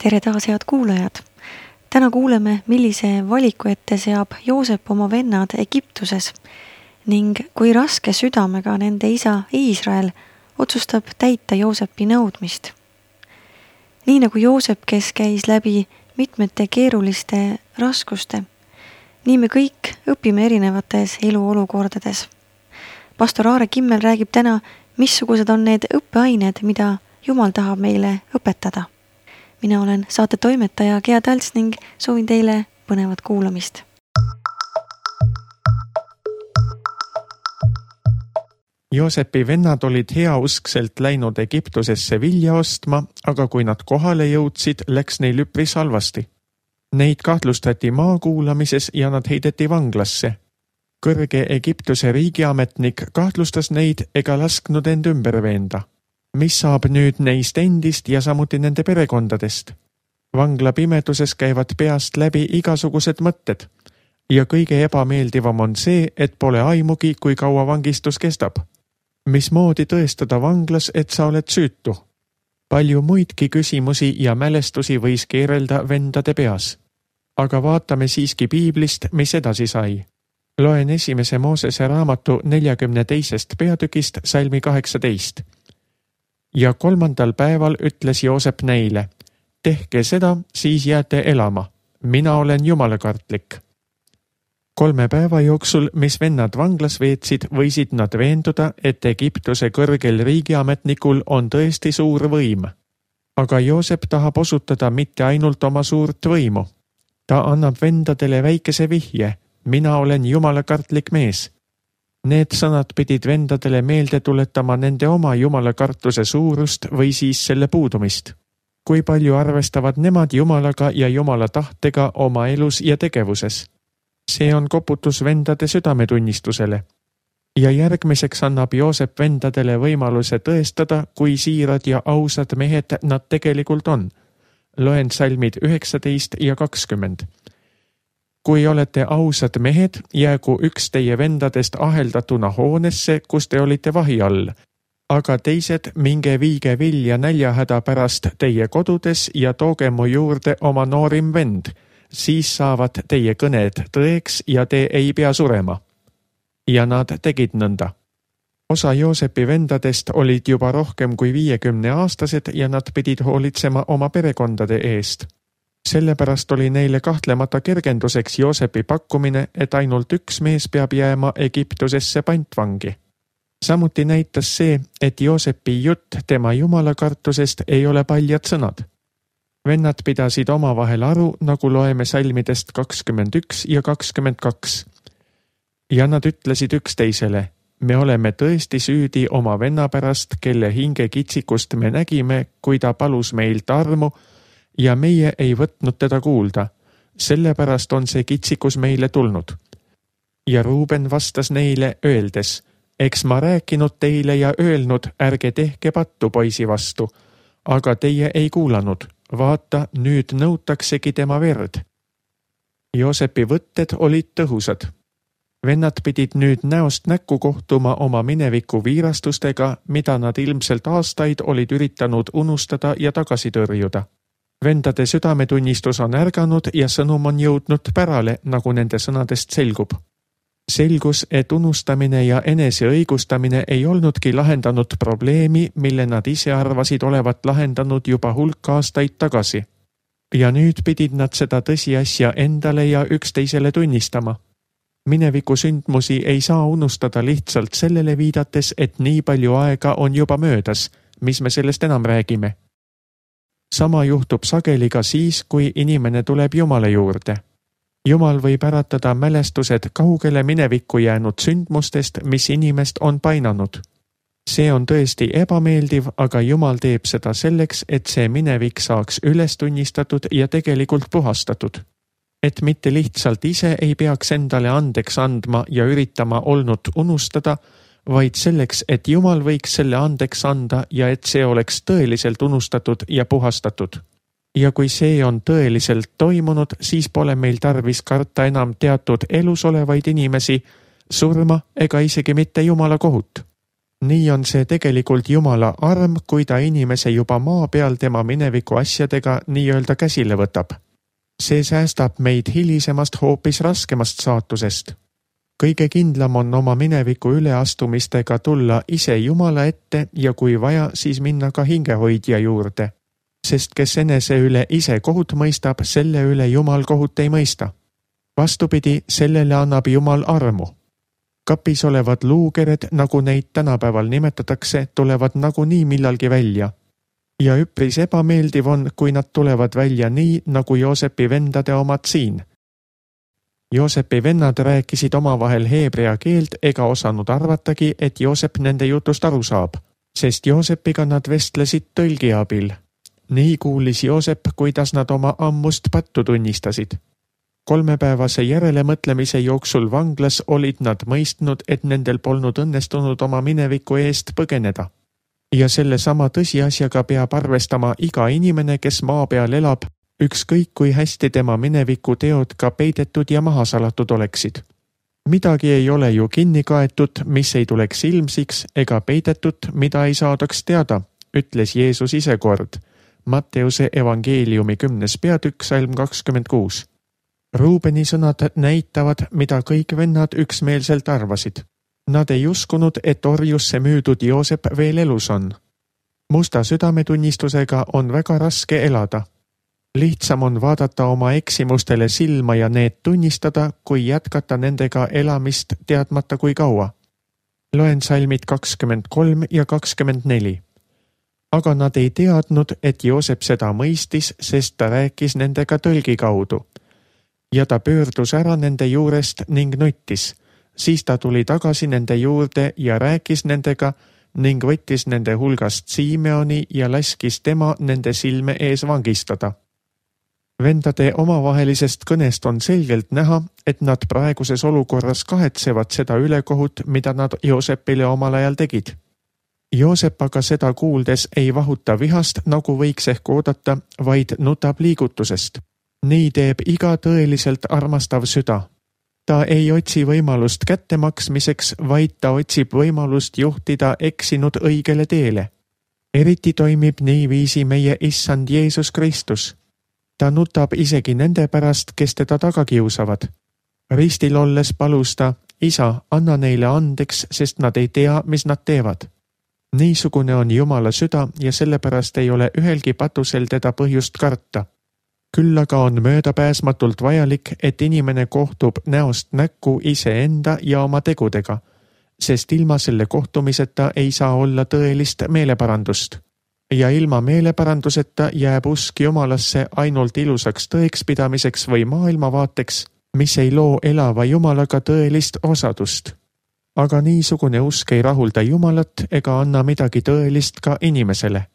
Tere taas, head kuulajad! Täna kuuleme, millise valiku ette seab Joosep oma vennad Egiptuses ning kui raske südamega nende isa Iisrael otsustab täita Joosepi nõudmist. Nii nagu Joosep, kes käis läbi mitmete keeruliste raskuste, nii me kõik õpime erinevates eluolukordades. Pastor Aare Kimmel räägib täna, missugused on need õppeained, mida Jumal tahab meile õpetada. Mina olen saate toimetaja Gea Talts ning soovin teile põnevat kuulamist. Joosepi vennad olid heauskselt läinud Egiptusesse vilja ostma, aga kui nad kohale jõudsid, läks neil üpris halvasti. Neid kahtlustati maakuulamises ja nad heideti vanglasse. Kõrge Egiptuse riigiametnik kahtlustas neid ega lasknud end ümber veenda. Mis saab nüüd neist endist ja samuti nende perekondadest? Vangla pimeduses käivad peast läbi igasugused mõtted ja kõige ebameeldivam on see, et pole aimugi, kui kaua vangistus kestab. Mismoodi tõestada vanglas, et sa oled süütu? Palju muidki küsimusi ja mälestusi võis keerelda vendade peas. Aga vaatame siiski piiblist, mis edasi sai. Loen 1. Moosese raamatu 42. peatükist salmi 18. Ja 3. päeval ütles Joosep neile, tehke seda, siis jääte elama. Mina olen jumalakartlik. 3 päeva jooksul, mis vennad vanglas veetsid, võisid nad veenduda, et Egiptuse kõrgel riigiametnikul on tõesti suur võim. Aga Joosep tahab osutada mitte ainult oma suurt võimu. Ta annab vendadele väikese vihje, mina olen jumalakartlik mees. Need sõnad pidid vendadele meelde tuletama nende oma jumalakartuse suurust või siis selle puudumist. Kui palju arvestavad nemad jumalaga ja jumala tahtega oma elus ja tegevuses? See on koputus vendade südametunnistusele. Ja järgmiseks annab Joosep vendadele võimaluse tõestada, kui siirad ja ausad mehed nad tegelikult on. Loen salmid 19 ja 20. Kui olete ausad mehed, jäägu üks teie vendadest aheldatuna hoonesse, kus te olite vahi all. Aga teised minge viige vilja näljahäda pärast teie kodudes ja tooge mu juurde oma noorim vend. Siis saavad teie kõned tõeks ja te ei pea surema. Ja nad tegid nõnda. Osa Joosepi vendadest olid juba rohkem kui 50-aastased ja nad pidid hoolitsema oma perekondade eest. Sellepärast oli neile kahtlemata kergenduseks Joosepi pakkumine, et ainult üks mees peab jääma Egiptusesse pantvangi. Samuti näitas see, et Joosepi jutt tema jumalakartusest ei ole paljad sõnad. Vennad pidasid omavahel aru, nagu loeme salmidest 21 ja 22. Ja nad ütlesid üksteisele, me oleme tõesti süüdi oma venna pärast, kelle hinge kitsikust me nägime, kui ta palus meilt armu, ja meie ei võtnud teda kuulda. Sellepärast on see kitsikus meile tulnud. Ja Ruuben vastas neile öeldes, eks ma rääkinud teile ja öelnud, ärge tehke pattu poisi vastu, aga teie ei kuulanud. Vaata, nüüd nõutaksegi tema verd. Joosepi võtted olid tõhusad. Vennad pidid nüüd näost näkku kohtuma oma mineviku viirastustega, mida nad ilmselt aastaid olid üritanud unustada ja tagasi tõrjuda. Vendade südametunnistus on ärganud ja sõnum on jõudnud pärale, nagu nende sõnadest selgub. Selgus, et unustamine ja eneseõigustamine ei olnudki lahendanud probleemi, mille nad ise arvasid olevat lahendanud juba hulk aastaid tagasi. Ja nüüd pidid nad seda tõsiasja endale ja üksteisele tunnistama. Mineviku sündmusi ei saa unustada lihtsalt sellele viidates, et nii palju aega on juba möödas, mis me sellest enam räägime. Sama juhtub sageli ka siis, kui inimene tuleb Jumala juurde. Jumal võib äratada mälestused kaugele minevikku jäänud sündmustest, mis inimest on painanud. See on tõesti ebameeldiv, aga Jumal teeb seda selleks, et see minevik saaks üles tunnistatud ja tegelikult puhastatud. Et mitte lihtsalt ise ei peaks endale andeks andma ja üritama olnud unustada, vaid selleks, et Jumal võiks selle andeks anda ja et see oleks tõeliselt unustatud ja puhastatud. Ja kui see on tõeliselt toimunud, siis pole meil tarvis karta enam teatud elus olevaid inimesi, surma ega isegi mitte Jumala kohut. nii on see tegelikult Jumala arm, kui ta inimese juba maa peal tema mineviku asjadega nii-öelda käsile võtab. See säästab meid hilisemast hoopis raskemast saatusest. Kõige kindlam on oma mineviku üleastumistega tulla ise Jumala ette ja kui vaja, siis minna ka hingehoidja juurde. Sest kes enese üle ise kohut mõistab, selle üle Jumal kohut ei mõista. Vastupidi, sellele annab Jumal armu. Kapis olevad luukered, nagu neid tänapäeval nimetatakse, tulevad nagunii millalgi välja. Ja üpris ebameeldiv on, kui nad tulevad välja nii, nagu Joosepi vendade omad siin. Joosepi vennad rääkisid omavahel heebrea keelt ega osanud arvatagi, et Joosep nende jutust aru saab, sest Joosepiga nad vestlesid tõlgi abil. Nii kuulis Joosep, kuidas nad oma ammust pattu tunnistasid. 3-päevase järelemõtlemise jooksul vanglas olid nad mõistnud, et nendel polnud õnnestunud oma mineviku eest põgeneda. Ja selle sama tõsiasjaga peab arvestama iga inimene, kes maa peal elab, ükskõik kui hästi tema mineviku teod ka peidetud ja maha salatud oleksid. Midagi ei ole ju kinni kaetud, mis ei tuleks ilmsiks, ega peidetud, mida ei saadaks teada, ütles Jeesus ise kord. Matteuse evangeeliumi 10. peatükk, salm 26. Ruubeni sõnad näitavad, mida kõik vennad üksmeelselt arvasid. Nad ei uskunud, et orjusse müüdud Joosep veel elus on. Musta südametunnistusega on väga raske elada. Lihtsam on vaadata oma eksimustele silma ja need tunnistada, kui jätkata nendega elamist teadmata kui kaua. Loen salmid 23 ja 24. Aga nad ei teadnud, et Joosep seda mõistis, sest ta rääkis nendega tõlgi kaudu. Ja ta pöördus ära nende juurest ning nuttis. Siis ta tuli tagasi nende juurde ja rääkis nendega ning võttis nende hulgast Simeoni ja laskis tema nende silme ees vangistada. Vendade omavahelisest kõnest on selgelt näha, et nad praeguses olukorras kahetsevad seda ülekohut, mida nad Joosepile omal ajal tegid. Joosep aga seda kuuldes ei vahuta vihast, nagu võiks ehk oodata, vaid nutab liigutusest. Nii teeb iga tõeliselt armastav süda. Ta ei otsi võimalust kättemaksmiseks, vaid ta otsib võimalust juhtida eksinud õigele teele. Eriti toimib niiviisi meie issand Jeesus Kristus. Ta nutab isegi nende pärast, kes teda taga kiusavad. Ristil olles palus ta, isa, anna neile andeks, sest nad ei tea, mis nad teevad. Niisugune on Jumala süda ja sellepärast ei ole ühelgi patusel teda põhjust karta. Küll aga on möödapääsmatult vajalik, et inimene kohtub näost näkku iseenda ja oma tegudega, sest ilma selle kohtumiseta ei saa olla tõelist meeleparandust. Ja ilma meeleparanduseta jääb usk Jumalasse ainult ilusaks tõekspidamiseks või maailmavaateks, mis ei loo elava Jumalaga tõelist osadust. Aga niisugune usk ei rahulda Jumalat ega anna midagi tõelist ka inimesele.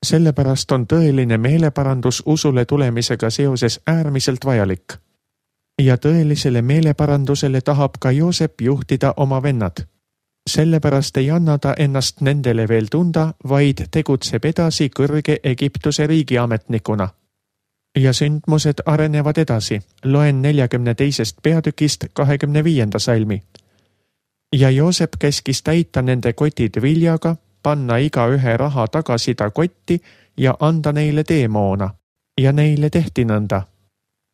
Sellepärast on tõeline meeleparandus usule tulemisega seoses äärmiselt vajalik. Ja tõelisele meeleparandusele tahab ka Joosep juhtida oma vennad. Sellepärast ei anna ta ennast nendele veel tunda, vaid tegutseb edasi kõrge Egiptuse riigiametnikuna. Ja sündmused arenevad edasi. Loen 42. peatükist 25. salmi. Ja Joosep käskis täita nende kotid viljaga, panna iga ühe raha tagasi ta kotti ja anda neile teemoona. Ja neile tehti nõnda.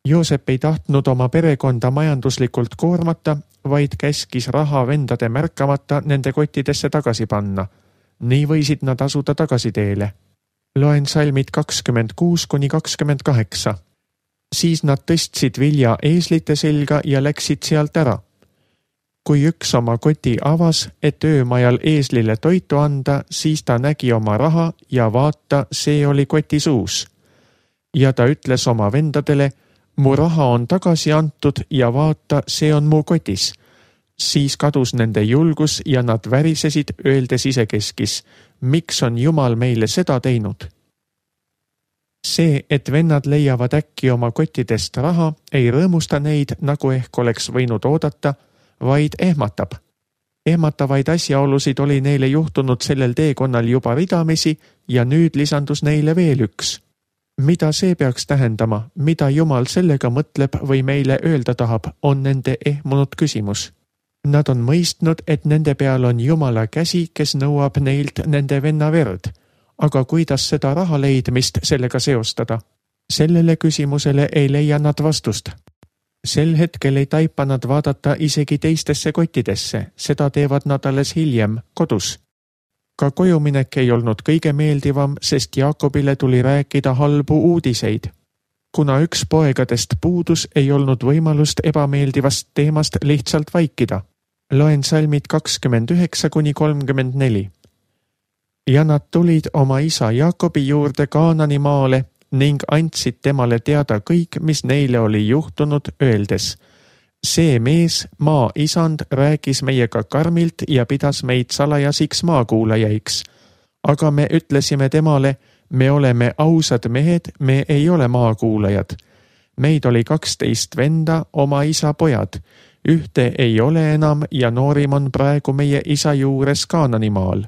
Joosep ei tahtnud oma perekonda majanduslikult koormata, vaid käskis raha vendade märkamata nende kottidesse tagasi panna. Nii võisid nad asuda tagasi teele. Loen salmid 26-28. Siis nad tõstsid vilja eeslite selga ja läksid sealt ära. Kui üks oma koti avas, et öömajal eeslile toitu anda, siis ta nägi oma raha ja vaata, see oli koti suus. Ja ta ütles oma vendadele, mu raha on tagasi antud ja vaata, see on mu kotis. Siis kadus nende julgus ja nad värisesid, öeldes isekeskis, miks on Jumal meile seda teinud? See, et vennad leiavad äkki oma kottidest raha, ei rõõmusta neid, nagu ehk oleks võinud oodata, vaid ehmatab. Ehmatavaid asjaolusid oli neile juhtunud sellel teekonnal juba ridamisi ja nüüd lisandus neile veel üks. Mida see peaks tähendama, mida Jumal sellega mõtleb või meile öelda tahab, on nende ehmunud küsimus. Nad on mõistnud, et nende peal on Jumala käsi, kes nõuab neilt nende venna verd. Aga kuidas seda raha leidmist sellega seostada? Sellele küsimusele ei leia nad vastust. Sel hetkel ei taipa nad vaadata isegi teistesse kottidesse, seda teevad nad alles hiljem, kodus. Ka kojuminek ei olnud kõige meeldivam, sest Jaakobile tuli rääkida halbu uudiseid. Kuna üks poegadest puudus, ei olnud võimalust ebameeldivast teemast lihtsalt vaikida. Loen salmid 29–34. Ja nad tulid oma isa Jaakobi juurde Kaanani maale ning andsid temale teada kõik, mis neile oli juhtunud, öeldes: see mees, maa isand, rääkis meiega karmilt ja pidas meid salajasiks maakuulajaiks. Aga me ütlesime temale: me oleme ausad mehed, me ei ole maakuulajad. Meid oli 12 venda, oma isa pojad. Ühte ei ole enam ja noorim on praegu meie isa juures Kaananimaal.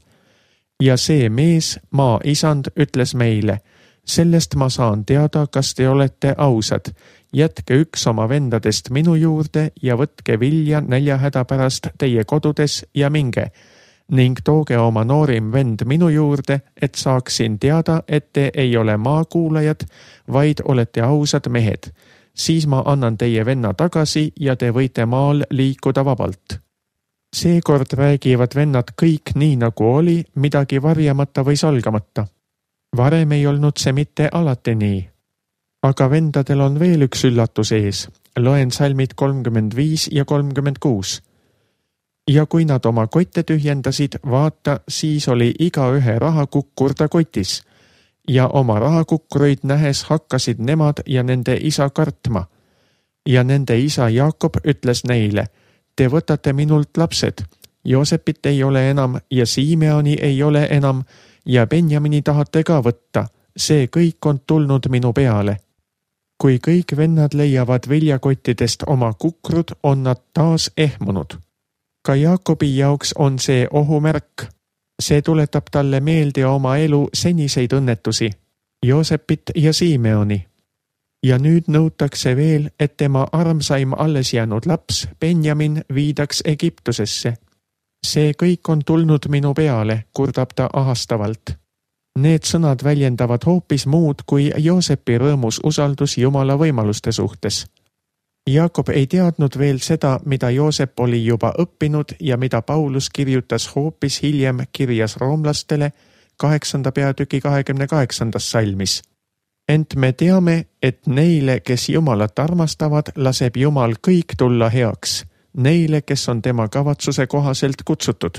Ja see mees, maa isand, ütles meile: sellest ma saan teada, kas te olete ausad. Jätke üks oma vendadest minu juurde ja võtke vilja näljahäda pärast teie kodudes ja minge. Ning tooge oma noorim vend minu juurde, et saaksin teada, et te ei ole maakuulajad, vaid olete ausad mehed. Siis ma annan teie venna tagasi ja te võite maal liikuda vabalt. Seekord räägivad vennad kõik nii nagu oli, midagi varjamata või salgamata. Varem ei olnud see mitte alati nii. Aga vendadel on veel üks üllatus ees. Loen salmid 35 ja 36. Ja kui nad oma kotte tühjendasid, vaata, siis oli igaühe rahakukkur ta kotis. Ja oma rahakukkureid nähes hakkasid nemad ja nende isa kartma. Ja nende isa Jaakob ütles neile: te võtate minult lapsed. Joosepit ei ole enam ja Simeoni ei ole enam ja Benjamini tahate ka võtta. See kõik on tulnud minu peale. Kui kõik vennad leiavad viljakottidest oma kukrud, on nad taas ehmunud. Ka Jaakobi jaoks on see ohumärk. See tuletab talle meelde oma elu seniseid õnnetusi, Joosepit ja Simeoni. Ja nüüd nõutakse veel, et tema armsaim alles jäänud laps, Benjamin, viidaks Egiptusesse. See kõik on tulnud minu peale, kurdab ta ahastavalt. Need sõnad väljendavad hoopis muud kui Joosepi rõõmus usaldus Jumala võimaluste suhtes. Jaakob ei teadnud veel seda, mida Joosep oli juba õppinud ja mida Paulus kirjutas hoopis hiljem kirjas roomlastele 8. peatüki 28. salmis. Ent me teame, et neile, kes Jumalat armastavad, laseb Jumal kõik tulla heaks, neile, kes on tema kavatsuse kohaselt kutsutud.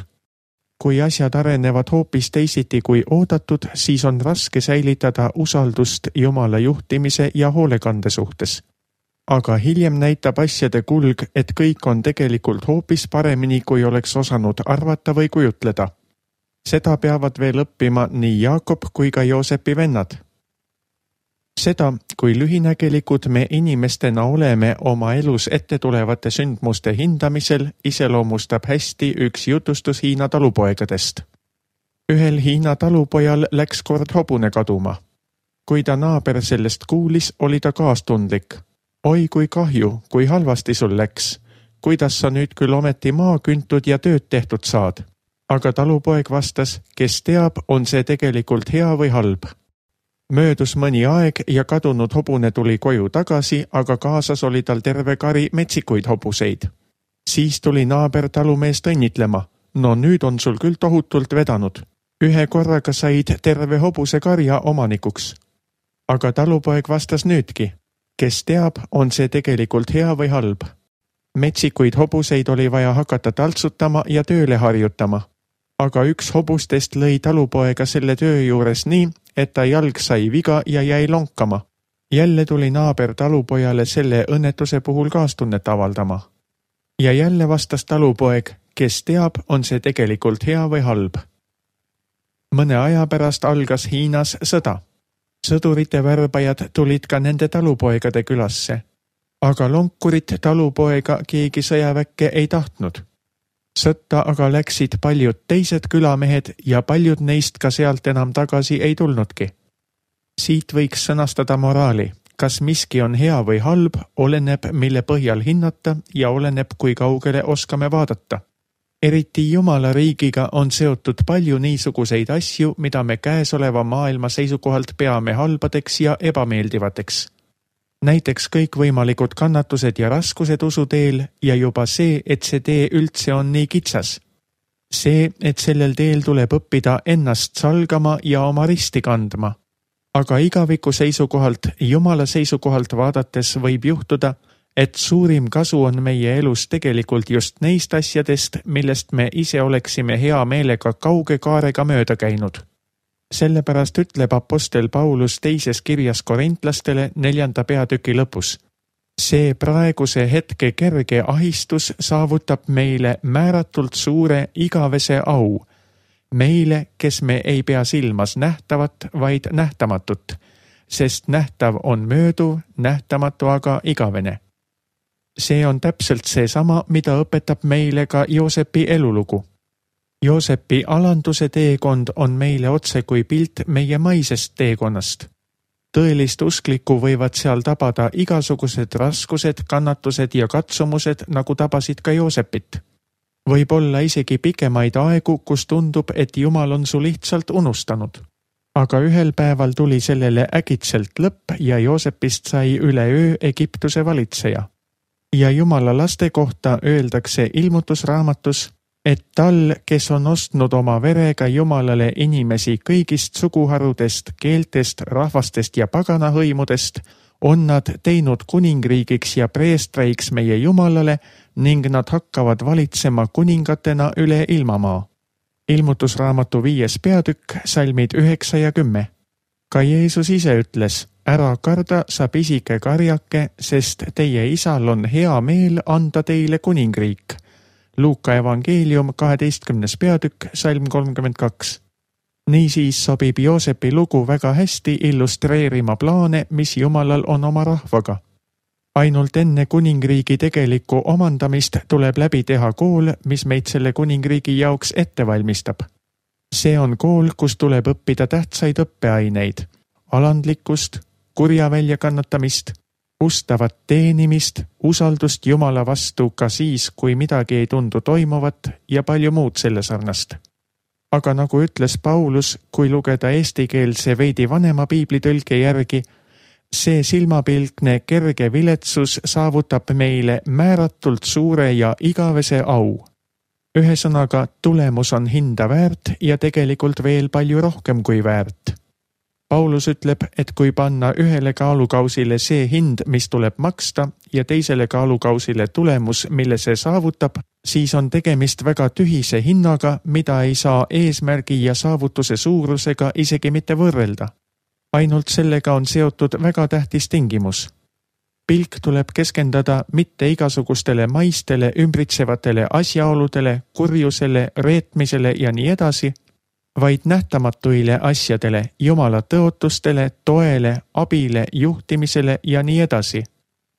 Kui asjad arenevad hoopis teisiti kui oodatud, siis on raske säilitada usaldust Jumala juhtimise ja hoolekande suhtes. Aga hiljem näitab asjade kulg, et kõik on tegelikult hoopis paremini, kui oleks osanud arvata või kujutleda. Seda peavad veel õppima nii Jaakob kui ka Joosepi vennad. Seda, kui lühinägelikud me inimestena oleme oma elus ette tulevate sündmuste hindamisel, iseloomustab hästi üks jutustus Hiina talupoegadest. Ühel Hiina talupojal läks kord hobune kaduma. Kui ta naaber sellest kuulis, oli ta kaastundlik. Oi kui kahju, kui halvasti sul läks. Kuidas sa nüüd küll ometi maa küntud ja tööd tehtud saad? Aga talupoeg vastas: kes teab, on see tegelikult hea või halb. Möödus mõni aeg ja kadunud hobune tuli koju tagasi, aga kaasas oli tal terve kari metsikuid hobuseid. Siis tuli naaber talumeest õnnitlema. No nüüd on sul küll tohutult vedanud. Ühe korraga said terve hobuse karja omanikuks. Aga talupoeg vastas nüüdki: kes teab, on see tegelikult hea või halb. Metsikuid hobuseid oli vaja hakata taltsutama ja tööle harjutama. Aga üks hobustest lõi talupoega selle töö juures nii, et ta jalg sai viga ja jäi lonkama. Jälle tuli naaber talupojale selle õnnetuse puhul kaastunnet avaldama. Ja jälle vastas talupoeg: kes teab, on see tegelikult hea või halb. Mõne aja pärast algas Hiinas sõda. Sõdurite värbajad tulid ka nende talupoegade külasse. Aga lonkurit talupoega keegi sõjaväkke ei tahtnud. Sõtta aga läksid paljud teised külamehed ja paljud neist ka sealt enam tagasi ei tulnudki. Siit võiks sõnastada moraali. kas miski on hea või halb, oleneb, mille põhjal hinnata ja oleneb, kui kaugele oskame vaadata. Eriti Jumala riigiga on seotud palju niisuguseid asju, mida me käesoleva maailma seisukohalt peame halbadeks ja ebameeldivateks. Näiteks kõikvõimalikud kannatused ja raskused usuteel ja juba see, et see tee üldse on nii kitsas. See, et sellel teel tuleb õppida ennast salgama ja oma risti kandma. Aga igaviku seisukohalt, Jumala seisukohalt vaadates võib juhtuda, et suurim kasu on meie elus tegelikult just neist asjadest, millest me ise oleksime hea meelega kauge kaarega mööda käinud. Sellepärast ütleb apostel Paulus teises kirjas korintlastele 4. peatüki lõpus. See praeguse hetke kerge ahistus saavutab meile määratult suure igavese au. Meile, kes me ei pea silmas nähtavat, vaid nähtamatut, sest nähtav on mööduv, nähtamatu aga igavene. See on täpselt seesama, mida õpetab meile ka Joosepi elulugu. Joosepi alanduse teekond on meile otse kui pilt meie maisest teekonnast. Tõelist usklikku võivad seal tabada igasugused raskused, kannatused ja katsumused, nagu tabasid ka Joosepit. Võib olla isegi pikemaid aegu, kus tundub, et Jumal on su lihtsalt unustanud. Aga ühel päeval tuli sellele äkitselt lõpp ja Joosepist sai üleöö Egiptuse valitseja. Ja Jumala laste kohta öeldakse ilmutusraamatus, et tal, kes on ostnud oma verega Jumalale inimesi kõigist suguharudest, keeltest, rahvastest ja paganahõimudest, on nad teinud kuningriigiks ja preestreiks meie Jumalale ning nad hakkavad valitsema kuningatena üle ilmamaa. Ilmutusraamatu 5. peatükk, salmid 9 ja 10. Ka Jeesus ise ütles, ära karda, sa pisike karjake, sest teie isal on hea meel anda teile kuningriik. Luuka evangeelium 12. peatükk, salm 32. Niisiis sobib Joosepi lugu väga hästi illustreerima plaane, mis Jumalal on oma rahvaga. Ainult enne kuningriigi tegelikku omandamist tuleb läbi teha kool, mis meid selle kuningriigi jaoks ette valmistab. See on kool, kus tuleb õppida tähtsaid õppeaineid, alandlikkust, kurja väljakannatamist, ustavat teenimist, usaldust Jumala vastu ka siis, kui midagi ei tundu toimuvat ja palju muud selle sarnast. Aga nagu ütles Paulus, kui lugeda eestikeelse veidi vanema piiblitõlke järgi, see silmapilkne kerge viletsus saavutab meile määratult suure ja igavese au. Ühesõnaga, tulemus on hinda väärt ja tegelikult veel palju rohkem kui väärt. Paulus ütleb, et kui panna ühele kaalukausile see hind, mis tuleb maksta, ja teisele kaalukausile tulemus, mille see saavutab, siis on tegemist väga tühise hinnaga, mida ei saa eesmärgi ja saavutuse suurusega isegi mitte võrrelda. Ainult sellega on seotud väga tähtis tingimus. Pilk tuleb keskendada mitte igasugustele maistele, ümbritsevatele asjaoludele, kurjusele, reetmisele ja nii edasi, vaid nähtamatuile asjadele, Jumala tõotustele, toele, abile, juhtimisele ja nii edasi.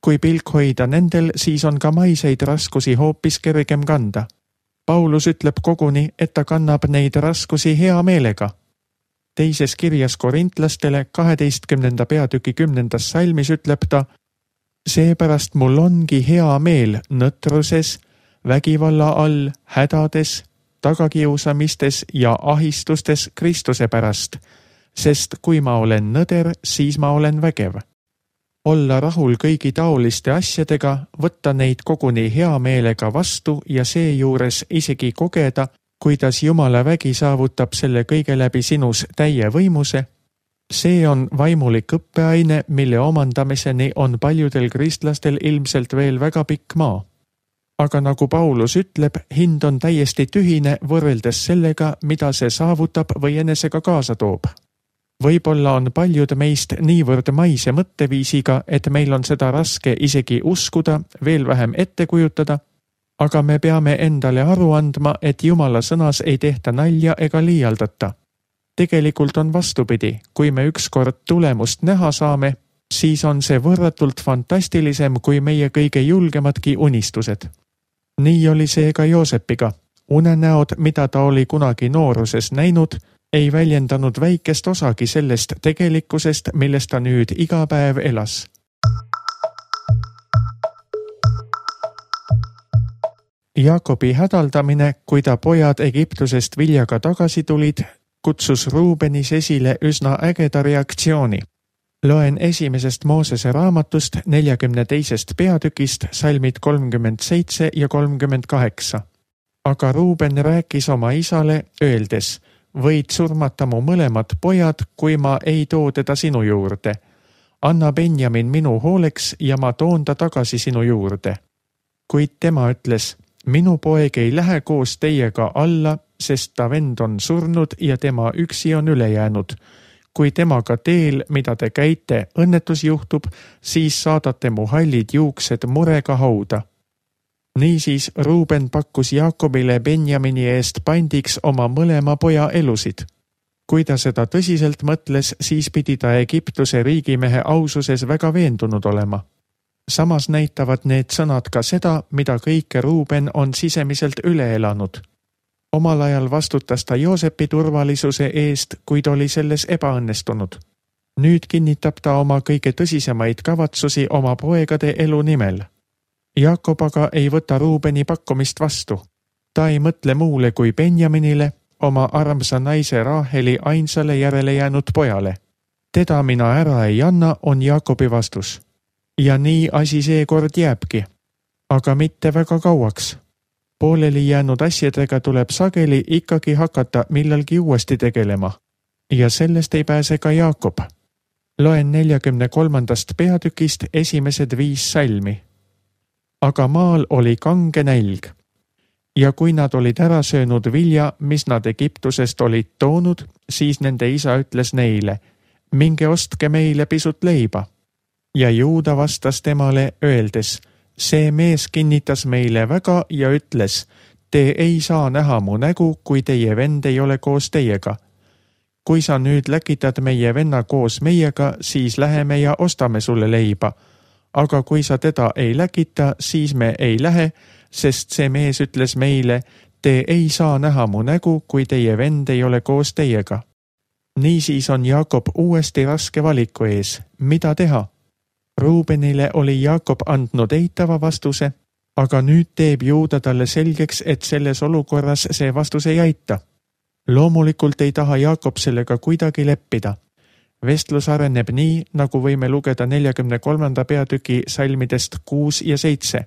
Kui pilk hoida nendel, siis on ka maiseid raskusi hoopis kergem kanda. Paulus ütleb koguni, et ta kannab neid raskusi hea meelega. Teises kirjas korintlastele 12. peatüki 10. salmis ütleb ta, seepärast mul ongi hea meel nõtruses, vägivalla all, hädades, tagakiusamistes ja ahistustes Kristuse pärast, sest kui ma olen nõder, siis ma olen vägev. Olla rahul kõigi taoliste asjadega, võtta neid koguni hea meelega vastu ja seejuures isegi kogeda, kuidas Jumala vägi saavutab selle kõige läbi sinus täie võimuse, see on vaimulik õppeaine, mille omandamiseni on paljudel kristlastel ilmselt veel väga pikk maa. Aga nagu Paulus ütleb, hind on täiesti tühine võrreldes sellega, mida see saavutab või enesega kaasa toob. Võib-olla on paljud meist niivõrd maise mõtteviisiga, et meil on seda raske isegi uskuda, veel vähem ette kujutada, aga me peame endale aru andma, et Jumala sõnas ei tehta nalja ega liialdata. Tegelikult on vastupidi, kui me ükskord tulemust näha saame, siis on see võrratult fantastilisem kui meie kõige julgemadki unistused. Nii oli see ka Joosepiga. Unenäod, mida ta oli kunagi nooruses näinud, ei väljendanud väikest osagi sellest tegelikkusest, millest ta nüüd iga päev elas. Jaakobi hädaldamine, kui ta pojad Egiptusest viljaga tagasi tulid, kutsus Ruubenis esile üsna ägeda reaktsiooni. Loen esimesest Moosese raamatust 42. peatükist salmid 37 ja 38. Aga Ruuben rääkis oma isale, öeldes, võid surmata mu mõlemad pojad, kui ma ei too teda sinu juurde. Anna Benjamin minu hooleks ja ma toon ta tagasi sinu juurde. Kuid tema ütles, minu poeg ei lähe koos teiega alla, sest ta vend on surnud ja tema üksi on üle jäänud. Kui temaga teel, mida te käite, õnnetus juhtub, siis saadate mu hallid juuksed murega hauda. Niisiis Ruuben pakkus Jaakobile Benjamini eest pandiks oma mõlema poja elusid. Kui ta seda tõsiselt mõtles, siis pidi ta Egiptuse riigimehe aususes väga veendunud olema. Samas näitavad need sõnad ka seda, mida kõike Ruuben on sisemiselt üle elanud. Omal ajal vastutas ta Joosepi turvalisuse eest, kuid oli selles ebaõnnestunud. Nüüd kinnitab ta oma kõige tõsisemaid kavatsusi oma poegade elu nimel. Jaakob aga ei võta Ruubeni pakkumist vastu. Ta ei mõtle muule kui Benjaminile, oma armsa naise Raheli ainsale järele jäänud pojale. Teda mina ära ei anna, on Jaakobi vastus. Ja nii asi seekord jääbki. Aga mitte väga kauaks. Pooleli jäänud asjadega tuleb sageli ikkagi hakata millalgi uuesti tegelema. Ja sellest ei pääse ka Jaakob. Loen 43. peatükist esimesed 5 salmi. Aga maal oli kange nälg. Ja kui nad olid ära söönud vilja, mis nad Egiptusest olid toonud, siis nende isa ütles neile, minge ostke meile pisut leiba. Ja Juuda vastas temale öeldes, see mees kinnitas meile väga ja ütles, te ei saa näha mu nägu, kui teie vend ei ole koos teiega. Kui sa nüüd läkitad meie venna koos meiega, siis läheme ja ostame sulle leiba. Aga kui sa teda ei läkita, siis me ei lähe, sest see mees ütles meile, te ei saa näha mu nägu, kui teie vend ei ole koos teiega. Niisiis on Jaakob uuesti raske valiku ees. Mida teha? Ruubenile oli Jaakob andnud eitava vastuse, aga nüüd teeb Juuda talle selgeks, et selles olukorras see vastus ei aita. Loomulikult ei taha Jaakob sellega kuidagi leppida. Vestlus areneb nii, nagu võime lugeda 43. peatüki salmidest 6 ja 7.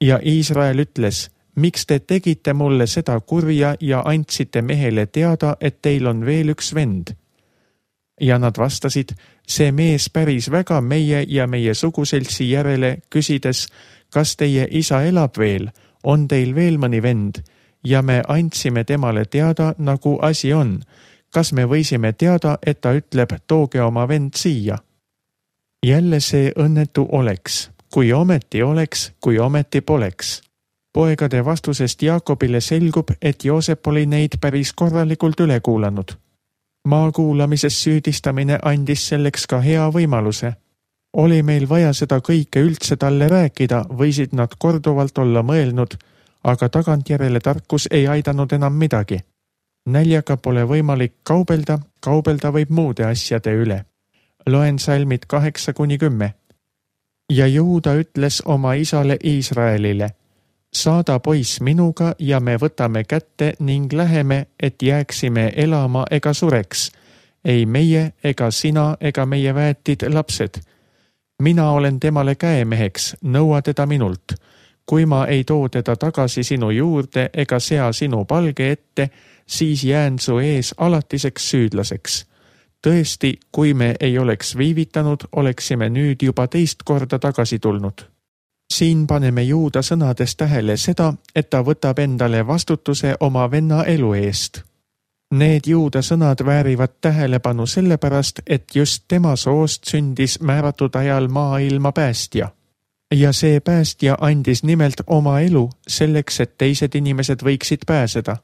Ja Iisrael ütles, miks te tegite mulle seda kurja ja andsite mehele teada, et teil on veel üks vend? Ja nad vastasid, see mees päris väga meie ja meie suguseltsi järele, küsides, kas teie isa elab veel, on teil veel mõni vend? Ja me andsime temale teada, nagu asi on. Kas me võisime teada, et ta ütleb, tooge oma vend siia? Jälle see õnnetu oleks, kui ometi oleks, kui ometi poleks. Poegade vastusest Jaakobile selgub, et Joosep oli neid päris korralikult üle kuulanud. Maakuulamises süüdistamine andis selleks ka hea võimaluse. Oli meil vaja seda kõike üldse talle rääkida, võisid nad korduvalt olla mõelnud, aga tagantjärele tarkus ei aidanud enam midagi. Näljaga pole võimalik kaubelda võib muude asjade üle. Loen salmid 8-10. Ja Juuda ütles oma isale Iisraelile, saada poiss minuga ja me võtame kätte ning läheme, et jääksime elama ega sureks. Ei meie ega sina ega meie väetid lapsed. Mina olen temale käemeheks, nõua teda minult. Kui ma ei too teda tagasi sinu juurde ega sea sinu palge ette, siis jään su ees alatiseks süüdlaseks. Tõesti, kui me ei oleks viivitanud, oleksime nüüd juba teist korda tagasi tulnud. Siin paneme Juuda sõnades tähele seda, et ta võtab endale vastutuse oma venna elu eest. Need Juuda sõnad väärivad tähelepanu sellepärast, et just tema soost sündis määratud ajal maailma päästja. Ja see päästja andis nimelt oma elu selleks, et teised inimesed võiksid pääseda.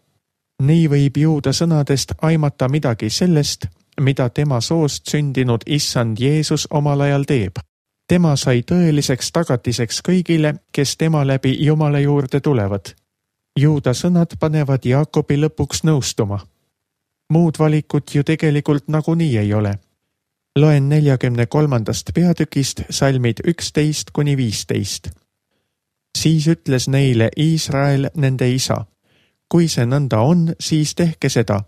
Nii võib Juuda sõnadest aimata midagi sellest, mida tema soost sündinud issand Jeesus omal ajal teeb. Tema sai tõeliseks tagatiseks kõigile, kes tema läbi Jumala juurde tulevad. Juuda sõnad panevad Jaakobi lõpuks nõustuma. Muud valikut ju tegelikult nagunii ei ole. Loen 43. peatükist salmid 11-15. Siis ütles neile Iisrael nende isa. Kui see nõnda on, siis tehke seda.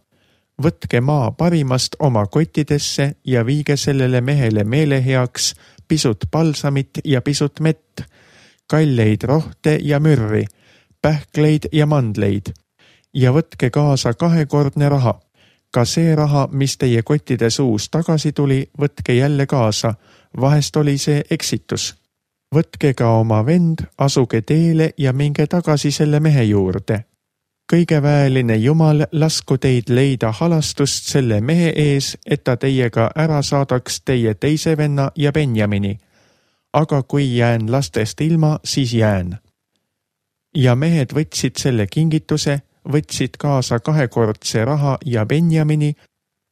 Võtke maa parimast oma kottidesse ja viige sellele mehele meeleheaks pisut palsamit ja pisut mett, kalleid rohte ja mürri, pähkleid ja mandleid. Ja võtke kaasa 2-kordne raha. Ka see raha, mis teie kottide suus tagasi tuli, võtke jälle kaasa. Vahest oli see eksitus. Võtke ka oma vend, asuge teele ja minge tagasi selle mehe juurde. Kõigeväeline Jumal lasku teid leida halastust selle mehe ees, et ta teiega ära saadaks teie teise venna ja Benjamini. Aga kui jään lastest ilma, siis jään. Ja mehed võtsid selle kingituse, võtsid kaasa 2-kordse raha ja Benjamini,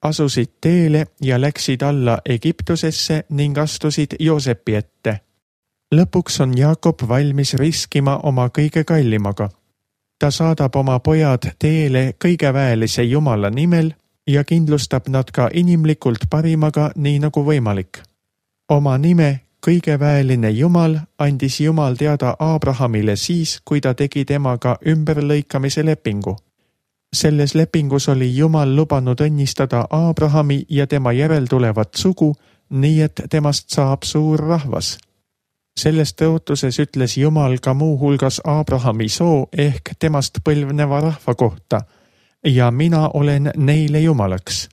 asusid teele ja läksid alla Egiptusesse ning astusid Joosepi ette. Lõpuks on Jaakob valmis riskima oma kõige kallimaga. Ta saadab oma pojad teele kõigeväelise Jumala nimel ja kindlustab nad ka inimlikult parimaga, nii nagu võimalik. Oma nime kõigeväeline Jumal andis Jumal teada Abrahamile siis, kui ta tegi temaga ümberlõikamise lepingu. Selles lepingus oli Jumal lubanud õnnistada Abrahami ja tema järeltulevat sugu, nii et temast saab suur rahvas. Selles tõotuses ütles Jumal ka muu hulgas Abrahami soo ehk temast põlvneva rahva kohta ja mina olen neile Jumalaks.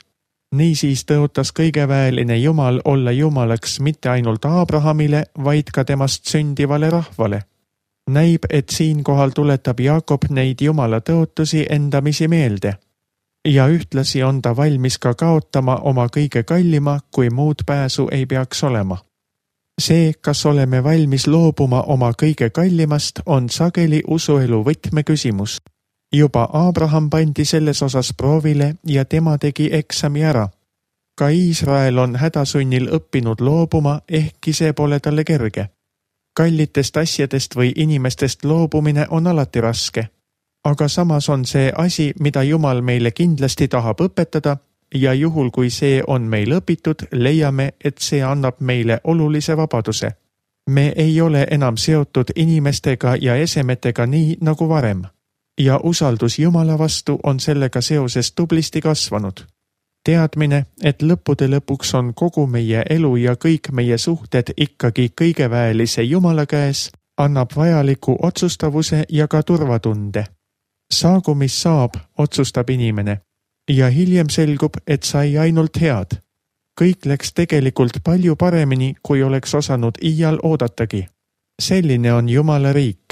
Niisiis tõotas kõigeväeline Jumal olla Jumalaks mitte ainult Abrahamile, vaid ka temast sündivale rahvale. Näib, et siinkohal tuletab Jaakob neid Jumala tõotusi endamisi meelde. Ja ühtlasi on ta valmis ka kaotama oma kõige kallima, kui muud pääsu ei peaks olema. See, kas oleme valmis loobuma oma kõige kallimast, on sageli usuelu võtmeküsimus. Juba Abraham pandi selles osas proovile ja tema tegi eksami ära. Ka Iisrael on hädasunnil õppinud loobuma, ehkki see pole talle kerge. Kallitest asjadest või inimestest loobumine on alati raske. Aga samas on see asi, mida Jumal meile kindlasti tahab õpetada, ja juhul, kui see on meil õpitud, leiame, et see annab meile olulise vabaduse. Me ei ole enam seotud inimestega ja esemetega nii nagu varem. Ja usaldus Jumala vastu on sellega seoses tublisti kasvanud. Teadmine, et lõppude lõpuks on kogu meie elu ja kõik meie suhted ikkagi kõigeväelise Jumala käes, annab vajaliku otsustavuse ja ka turvatunde. Saagu mis saab, otsustab inimene. Ja hiljem selgub, et sai ainult head. Kõik läks tegelikult palju paremini, kui oleks osanud iial oodatagi. Selline on Jumala riik.